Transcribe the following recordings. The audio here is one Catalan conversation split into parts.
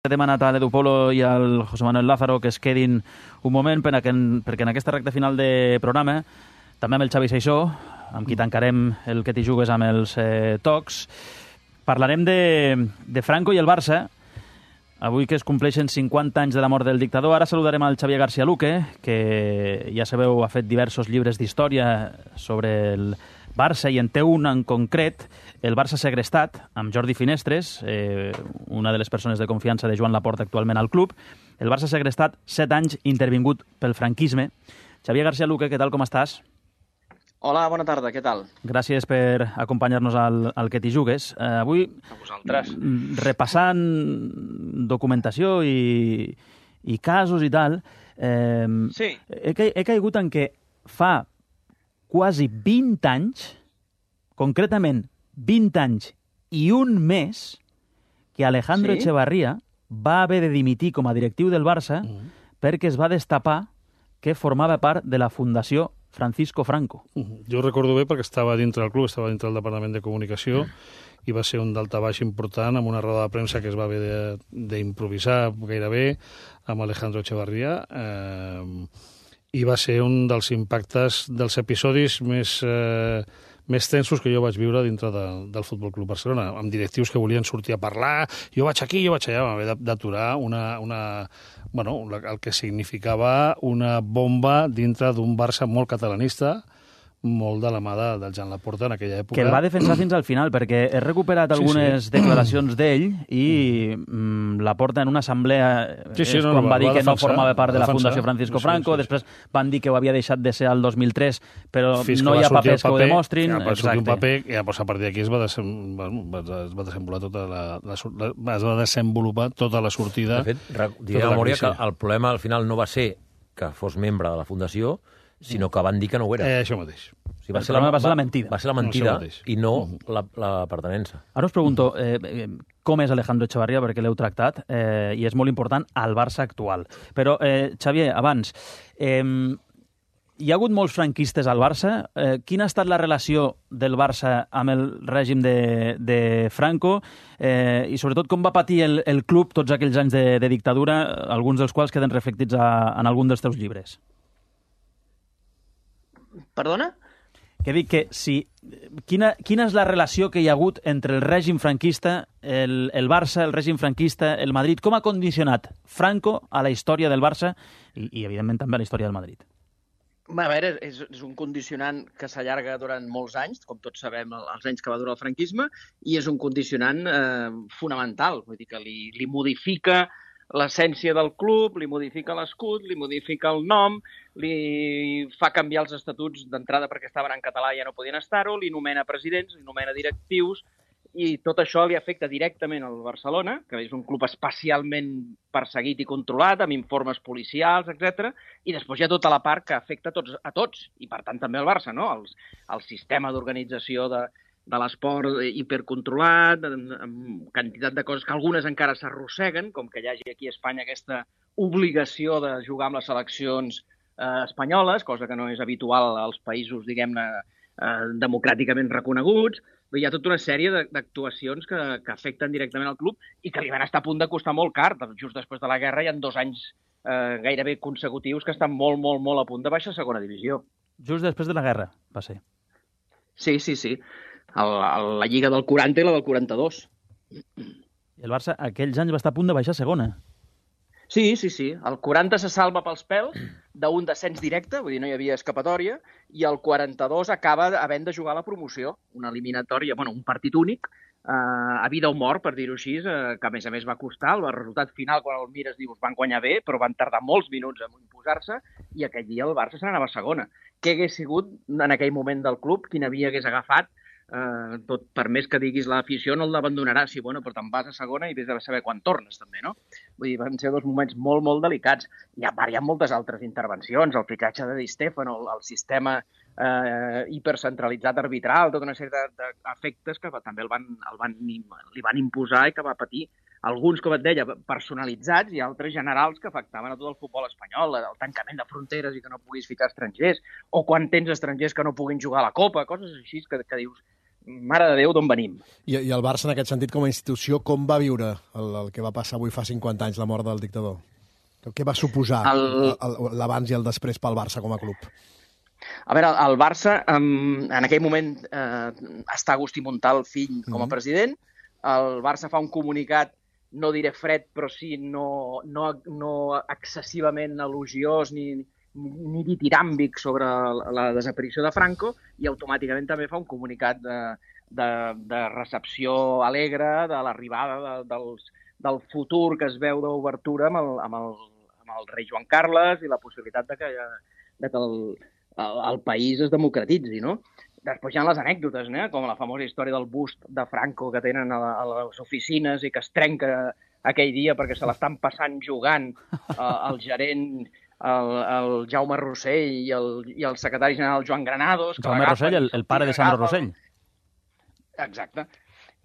He demanat a l'Edu Polo i al José Manuel Lázaro que es quedin un moment perquè en aquesta recta final de programa, també amb el Xavi Seixó, amb qui tancarem el que t'hi jugues amb els tocs, parlarem de Franco i el Barça. Avui que es compleixen 50 anys de la mort del dictador, ara saludarem al Xavier García Luque, que ja sabeu ha fet diversos llibres d'història sobre el Barça i en té un en concret, el Barça segrestat, amb Jordi Finestres, una de les persones de confiança de Joan Laporta actualment al club. El Barça segrestat, 7 anys intervingut pel franquisme. Xavier García Luque, què tal, com estàs? Hola, bona tarda, què tal? Gràcies per acompanyar-nos al que t'hi jugues. Avui, a vosaltres, repassant documentació i casos i tal, sí. he caigut en què fa quasi 20 anys, concretament 20 anys i un mes, que Alejandro Echevarría va haver de dimitir com a directiu del Barça perquè es va destapar que formava part de la Fundació Francisco Franco. Jo recordo bé perquè estava dintre del club, estava dintre del Departament de Comunicació i va ser un daltabaix important amb una roda de premsa que es va haver d'improvisar gairebé amb Alejandro Echevarría i va ser un dels impactes dels episodis més tensos que jo vaig viure dintre del Futbol Club Barcelona, amb directius que volien sortir a parlar, jo vaig aquí, jo vaig allà, vam haver d'aturar el que significava una bomba dintre d'un Barça molt catalanista, molt de la mà del Joan Laporta en aquella època. Que el va defensar fins al final, perquè he recuperat algunes declaracions d'ell i Laporta en una assemblea quan va dir que no formava part de la Fundació Francisco Franco, després van dir que ho havia deixat de ser al 2003, però no hi ha papers que ho demostrin. Va sortir un paper i a partir d'aquí es va desenvolupar tota la sortida. De fet, diré a memòria que el problema al final no va ser que fos membre de la Fundació, sinó que van dir que no ho era. Això mateix. O sigui, va ser la mentida. Va ser la mentida i no la pertenença. Ara us pregunto, com és Alejandro Echevarría, perquè l'heu tractat, i és molt important al Barça actual. Però, Xavier, abans, hi ha hagut molts franquistes al Barça. Quina ha estat la relació del Barça amb el règim de Franco i, sobretot, com va patir el club tots aquells anys de dictadura, alguns dels quals queden reflectits en algun dels teus llibres? Perdona? Que dic que quina és la relació que hi ha hagut entre el règim franquista, el Barça, el règim franquista, el Madrid? Com ha condicionat Franco a la història del Barça i evidentment, també a la història del Madrid? A veure, és un condicionant que s'allarga durant molts anys, com tots sabem, els anys que va durar el franquisme, i és un condicionant fonamental. Vull dir que li modifica l'essència del club, li modifica l'escut, li modifica el nom, li fa canviar els estatuts d'entrada perquè estaven en català i ja no podien estar-ho, li nomena presidents, li nomena directius, i tot això li afecta directament al Barcelona, que és un club especialment perseguit i controlat, amb informes policials, etc. I després hi ha tota la part que afecta a tots, i per tant també al Barça, no? El sistema d'organització de l'esport hipercontrolat, amb quantitat de coses que algunes encara s'arrosseguen, com que hi hagi aquí a Espanya aquesta obligació de jugar amb les seleccions espanyoles, cosa que no és habitual als països, diguem-ne, democràticament reconeguts. Hi ha tota una sèrie d'actuacions que afecten directament al club i que li van estar a punt de costar molt car. Just després de la guerra hi ha 2 anys gairebé consecutius que estan molt, molt, molt a punt de baixar a segona divisió. Just després de la guerra, va ser. Sí. La Lliga del 40 i la del 42. I el Barça aquells anys va estar a punt de baixar a segona. Sí. El 40 se salva pels pèls d'un descens directe, vull dir, no hi havia escapatòria, i el 42 acaba havent de jugar la promoció, una eliminatòria, un partit únic, a vida o mort, per dir-ho així, que a més va costar. El resultat final, quan el mires, dius, van guanyar bé, però van tardar molts minuts en imposar-se, i aquell dia el Barça se n'anava a segona. Què hagués sigut en aquell moment del club? Quina via hagués agafat? Tot, per més que diguis l'afició no l'abandonarà, sí, però te'n vas a segona i vés a saber quan tornes, també, no? Vull dir, van ser 2 moments molt, molt delicats. Hi ha moltes altres intervencions, el fitxatge de Di Stéfano, el sistema hipercentralitzat arbitral, tota una sèrie d'efectes que també li van imposar i que va patir. Alguns, com et deia, personalitzats i altres generals que afectaven a tot el futbol espanyol, el tancament de fronteres i que no puguis ficar estrangers, o quan tens estrangers que no puguin jugar a la Copa, coses així que dius, mare de Déu, d'on venim. I el Barça, en aquest sentit, com a institució, com va viure el que va passar avui fa 50 anys, la mort del dictador? Què va suposar l'abans i el després pel Barça com a club? A veure, el Barça, en aquell moment, està Agustí Montal, fill, com a president. El Barça fa un comunicat, no diré fred, però sí no excessivament elogiós ni ditiràmbic sobre la desaparició de Franco, i automàticament també fa un comunicat de recepció alegre de l'arribada del futur que es veu d'obertura amb el rei Joan Carles i la possibilitat de que el país es democratitzi, no? Després hi ha les anècdotes, com la famosa història del bust de Franco que tenen a les oficines i que es trenca aquell dia perquè se l'estan passant jugant el gerent, el Jaume Rossell i el secretari general Joan Granados. Jaume Rossell, el pare de Sandro Rossell. Exacte.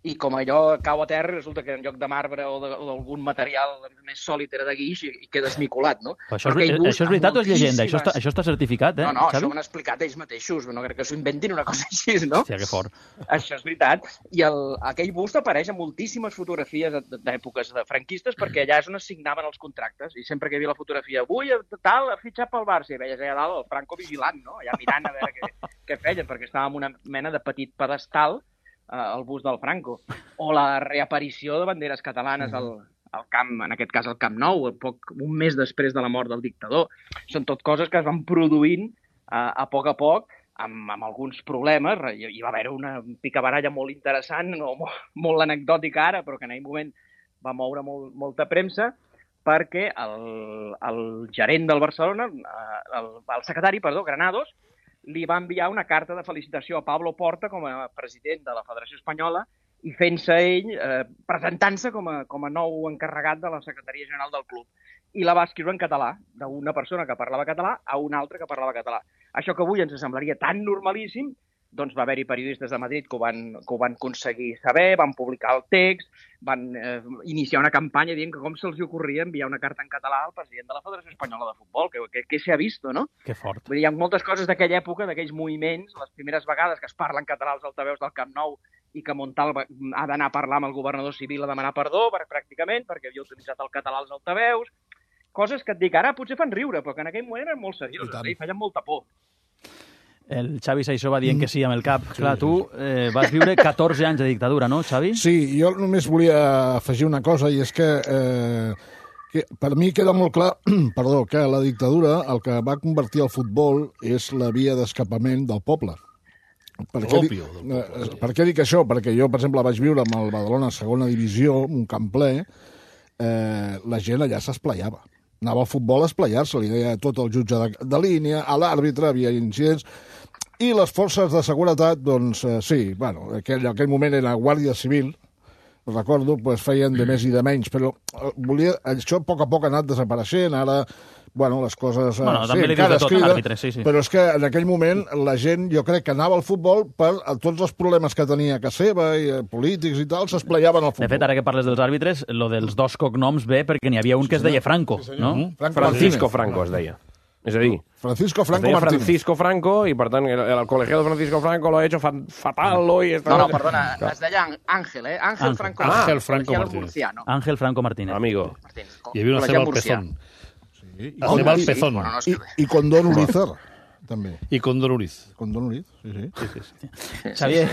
I com allò cau a terra, resulta que en lloc de marbre o d'algun material més sòlid era de guix i queda esmicolat, no? Això és veritat o és llegenda? Això està certificat, No, Xavi? Això ho han explicat ells mateixos, no crec que s'ho inventin una cosa així, no? Hòstia, que fort. Això és veritat. I aquell bust apareix en moltíssimes fotografies d'èpoques franquistes perquè allà és on es signaven els contractes. I sempre que hi havia la fotografia, avui tal, ha fitxat pel Barça, i veies allà dalt el Franco vigilant, no? Allà mirant a veure què feien, perquè estava en una mena de petit pedestal el bust del Franco, o la reaparició de banderes catalanes al camp, en aquest cas al Camp Nou, un mes després de la mort del dictador. Són tot coses que es van produint a poc, amb alguns problemes. Hi va haver una picabaralla molt interessant, molt anecdòtica ara, però que en aquell moment va moure molta premsa, perquè el gerent del Barcelona, el secretari, Granados, li va enviar una carta de felicitació a Pablo Porta com a president de la Federació Espanyola i fent-se ell, presentant-se com a nou encarregat de la Secretaria General del club. I la va escriure en català, d'una persona que parlava català a una altra que parlava català. Això que avui ens semblaria tan normalíssim, doncs va haver-hi periodistes de Madrid que ho van aconseguir saber, van publicar el text, van iniciar una campanya dient que com se'ls ocorria enviar una carta en català al president de la Federació Espanyola de Futbol, que s'ha vist, no? Que fort. Vull dir, hi ha moltes coses d'aquella època, d'aquells moviments, les primeres vegades que es parla en català als altaveus del Camp Nou i que Montal ha d'anar a parlar amb el governador civil a demanar perdó, pràcticament, perquè havia utilitzat el català als altaveus. Coses que et dic, ara potser fan riure, però que en aquell moment eren molt serioses i feien molta por. El Xavi Saissó va dient que sí amb el cap. Sí. Clar, tu vas viure 14 anys de dictadura, no, Xavi? Sí, jo només volia afegir una cosa, i és que per mi queda molt clar que la dictadura el que va convertir el futbol és la via d'escapament del poble. Per què dic això? Perquè jo, per exemple, vaig viure amb el Badalona segona divisió, un camp ple, la gent allà s'esplaiava. Anava al futbol a esplayar-se, li deia tot el jutge de línia, a l'àrbitre, havia incidents, i les forces de seguretat, doncs sí, bueno, aquell moment era Guàrdia Civil, recordo, feien de més i de menys, però això a poc ha anat desapareixent, ara, bueno, les coses... Bueno, també li dius de tot a l'àrbitre, sí. Però és que en aquell moment la gent, jo crec que anava al futbol per tots els problemes que tenia a casa seva, i polítics i tal, s'esplayaven al futbol. De fet, ara que parles dels àrbitres, lo dels dos cognoms ve perquè n'hi havia un que es deia Franco, no? Francisco Franco es deia. És a dir, Francisco Franco Martínez. Francisco Franco, i per tant el colegiado Francisco Franco lo ha hecho fatal hoy. No, perdona, es deia Ángel, Ángel Franco. Ángel Franco Martínez. Ángel Franco Martínez. Amigo. Hi havia una ceba al Pezón. El Pezón. I Condón Urizar, també. I Condón Uriz. Condón Uriz, sí. Xavier,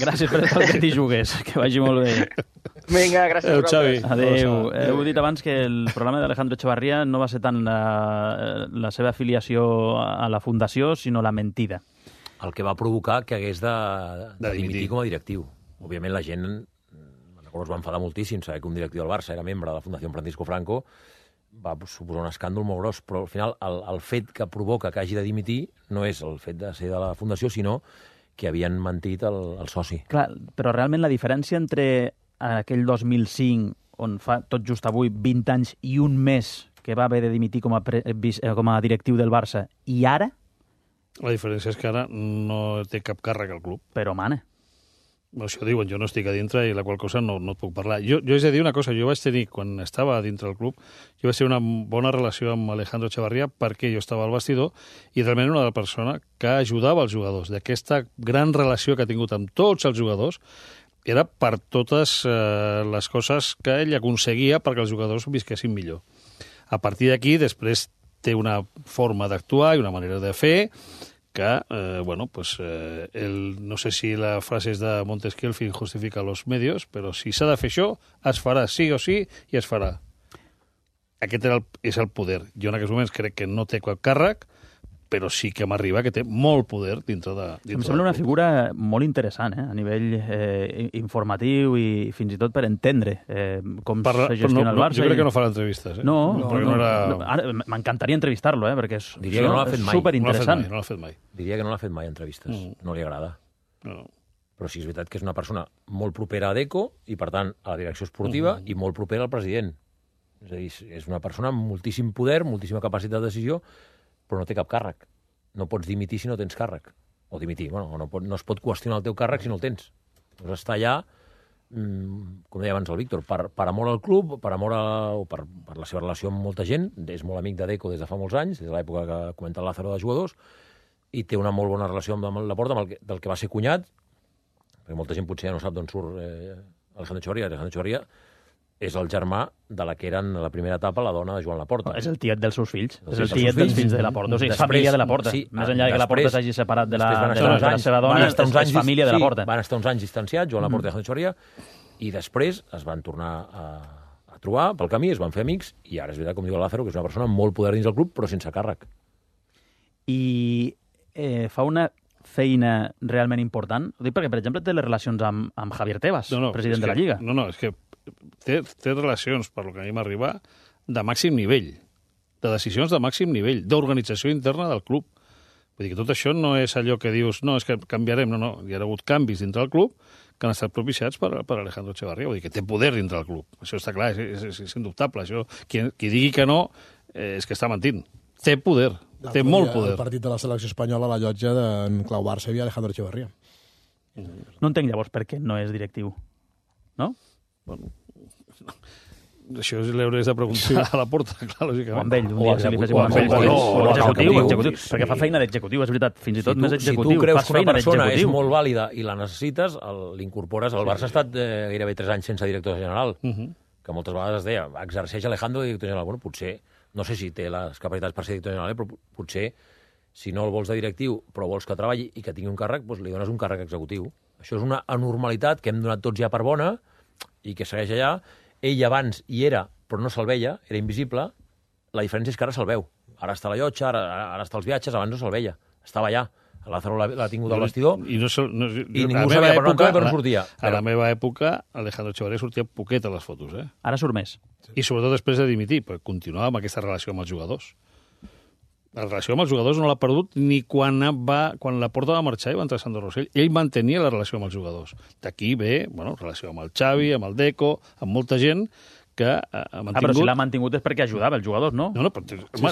gràcies per estar que t'hi jugues, que vagi molt bé. Vinga, gràcies a Xavi. Adéu. Heu dit abans que el programa d'Alejandro Echevarría no va ser tant la seva afiliació a la fundació, sinó la mentida. El que va provocar que hagués de dimitir com a directiu. Òbviament la gent, es va enfadar moltíssim saber que un directiu del Barça era membre de la Fundació Francisco Franco, va suposar un escàndol molt gros, però al final el fet que provoca que hagi de dimitir no és el fet de ser de la Fundació, sinó que havien mentit el soci. Clar, però realment la diferència entre aquell 2005, on fa tot just avui 20 anys i un mes que va haver de dimitir com a directiu del Barça, i ara? La diferència és que ara no té cap càrrec al club. Però mana. Això diuen, jo no estic a dintre i la qual cosa no et puc parlar. Jo he de dir una cosa, jo vaig tenir, quan estava a dintre del club, jo vaig tenir una bona relació amb Alejandro Echevarría perquè jo estava al vestidor i realment una persona que ajudava els jugadors. D'aquesta gran relació que ha tingut amb tots els jugadors era per totes les coses que ell aconseguia perquè els jugadors visquessin millor. A partir d'aquí, després té una forma d'actuar i una manera de fer que, no sé si la frase és de Montesquieu, el fin justifica los medios, però si s'ha de fer això, es farà sí o sí i es farà. Aquest és el poder. Jo en aquests moments crec que no té cap càrrec, però sí que m'arriba que té molt poder dintre de... Em sembla una figura molt interessant, a nivell informatiu i fins i tot per entendre com se gestiona el Barça. Jo crec que no farà entrevistes. M'encantaria entrevistar-lo, perquè és superinteressant. No l'ha fet mai. Diria que no l'ha fet mai, entrevistes. No li agrada. Però sí és veritat que és una persona molt propera a Deco i, per tant, a la direcció esportiva i molt propera al president. És a dir, és una persona amb moltíssim poder, moltíssima capacitat de decisió, però no té cap càrrec. No pots dimitir si no tens càrrec. O dimitir, no es pot qüestionar el teu càrrec si no el tens. Doncs està allà, com deia abans el Víctor, per amor al club, per amor o per la seva relació amb molta gent. És molt amic de Deco des de fa molts anys, des de l'època que comenta el Lázaro de jugadors, i té una molt bona relació amb Laporta, del que va ser cunyat, perquè molta gent potser ja no sap d'on surt Alejandro Echevarría. Alejandro Echevarría és el germà de la que era en la primera etapa la dona de Joan Laporta. És el tiet dels seus fills. És el tiet dels fills de Laporta. O sigui, és família de Laporta. Més enllà que Laporta s'hagi separat de la seva dona, és família de Laporta. Van estar uns anys distanciats, Joan Laporta i Alejandro Echevarría, i després es van tornar a trobar pel camí, es van fer amics, i ara és veritat, com diu el Lázaro, que és una persona amb molt poder dins del club, però sense càrrec. I fa una feina realment important? Ho dic perquè, per exemple, té les relacions amb Javier Tebas, president de la Lliga. No, és que té relacions, per lo que a mi m'arriba, de màxim nivell, de decisions de màxim nivell, d'organització interna del club. Vull dir que tot això no és allò que dius, no, és que canviarem, no. Hi ha hagut canvis dintre del club que han estat propiciats per Alejandro Echevarría. Vull dir que té poder dintre del club. Això està clar, és indubtable. Això, qui digui que no és que està mentint. Té poder, té molt poder. El partit de la selecció espanyola a la llotja d'en Clau Barça hi havia Alejandro Echevarría. No entenc llavors per què no és directiu, no? Bueno, això li hauries de preguntar a Laporta, clar, lògicament. O amb ell, un dia si li féssim amb ell. Executiu, perquè fa feina d'executiu, és veritat, fins i tot més executiu. Si tu creus que una persona és molt vàlida i la necessites, l'incorpores. El Barça ha estat gairebé 3 anys sense director general, que moltes vegades es deia, exerceix Alejandro de director general. Bueno, potser, no sé si té les capacitats per ser director general, però potser, si no el vols de directiu, però vols que treballi i que tingui un càrrec, doncs li dones un càrrec executiu. Això és una anormalitat que hem donat tots ja per bona, i que segueix allà. Ell abans hi era, però no se'l veia, era invisible. La diferència és que ara se'l veu. Ara està a la llotja, ara està als viatges, abans no se'l veia. Estava allà. El Lázaro l'ha tingut al vestidor i ningú sabia per on sortia. A la meva època, Alejandro Echevarría sortia poquet a les fotos. Ara surt més. I sobretot després de dimitir, perquè continuava amb aquesta relació amb els jugadors. La relació amb els jugadors no l'ha perdut ni quan Laporta va marxar i va entrar Sandro Rosell. Ell mantenia la relació amb els jugadors. D'aquí ve, relació amb el Xavi, amb el Deco, amb molta gent que ha mantingut... Però si l'ha mantingut és perquè ajudava els jugadors, no? No, però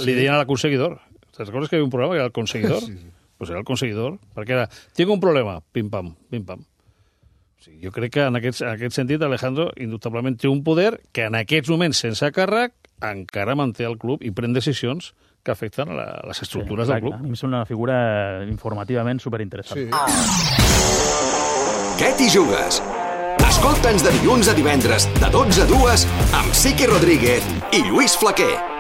li deien a l'aconseguidor. Te'n recordes que hi havia un programa que era el conseguidor? Sí. Pues era el conseguidor, perquè era, tinc un problema, pim-pam, pim-pam. O sigui, jo crec que en aquest sentit Alejandro indubtablement té un poder que en aquests moments, sense càrrec, encara manté el club i pren decisions que afecten a les estructures del club. A mi em sembla una figura informativament superinteressant. Què t'hi jugues? Escolta'ns de dilluns a divendres, de 12 a 2, amb Sique Rodríguez i Lluís Flaquer.